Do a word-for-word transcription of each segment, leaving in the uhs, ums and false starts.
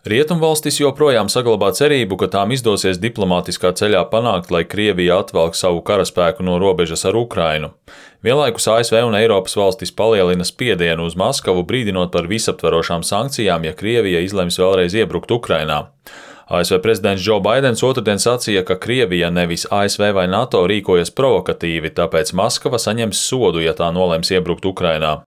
Rietumvalstis joprojām saglabā cerību, ka tām izdosies diplomātiskā ceļā panākt, lai Krievija atvelk savu karaspēku no robežas ar Ukrainu. Vienlaikus A S V un Eiropas valstis palielina spiedienu uz Maskavu, brīdinot par visaptverošām sankcijām, ja Krievija izlems vēlreiz iebrukt Ukrainā. A S V prezidents Džo Baidens otrdien sacīja, ka Krievija, nevis A S V vai NATO, rīkojas provokatīvi, tāpēc Maskava saņems sodu, ja tā nolems iebrukt Ukrainā.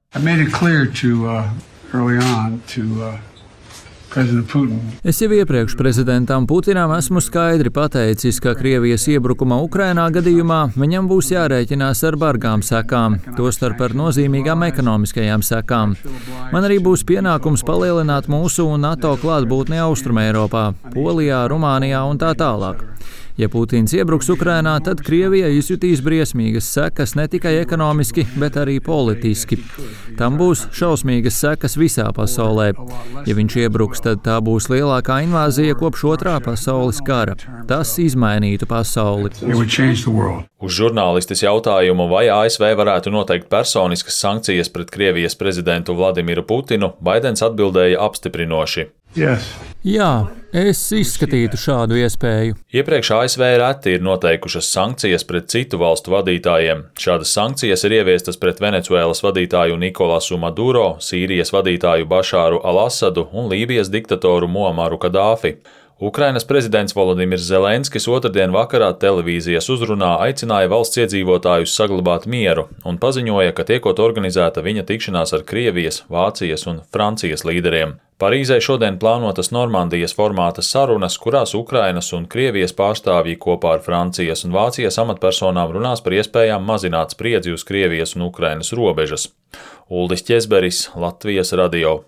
Es jau iepriekš prezidentam Putinam esmu skaidri pateicis, ka Krievijas iebrukuma Ukrainā gadījumā viņam būs jārēķinās ar bargām sekām, tostarp ar nozīmīgām ekonomiskajām sekām. Man arī būs pienākums palielināt mūsu un NATO klātbūtni Austrumeiropā, Polijā, Rumānijā un tā tālāk. Ja Putins iebruks Ukrainā, tad Krievija izjutīs briesmīgas sekas ne tikai ekonomiski, bet arī politiski. Tam būs šausmīgas sekas visā pasaulē. Ja viņš iebruks, tad tā būs lielākā invāzija kopš otrā pasaules kara. Tas izmainītu pasauli. Uz žurnālistes jautājumu, vai A S V varētu noteikt personiskas sankcijas pret Krievijas prezidentu Vladimiru Putinu, Baidens atbildēja apstiprinoši. Yes. Jā, es izskatītu šādu iespēju. Iepriekš A S V reti ir noteikušas sankcijas pret citu valstu vadītājiem. Šādas sankcijas ir ieviestas pret Venecuēlas vadītāju Nikolasu Maduro, Sīrijas vadītāju Bašāru al-Asadu un Lībijas diktatoru Muamaru Kadāfi. Ukrainas prezidents Volodimirs Zelenskis otrdien vakarā televīzijas uzrunā aicināja valsts iedzīvotājus saglabāt mieru un paziņoja, ka tiekot organizēta viņa tikšanās ar Krievijas, Vācijas un Francijas līderiem. Parīzē šodien plānotas Normandijas formāta sarunas, kurās Ukrainas un Krievijas pārstāvji kopā ar Francijas un Vācijas amatpersonām runās par iespējām mazināt spriedzi uz Krievijas un Ukrainas robežas. Uldis Ķezberis, Latvijas radio.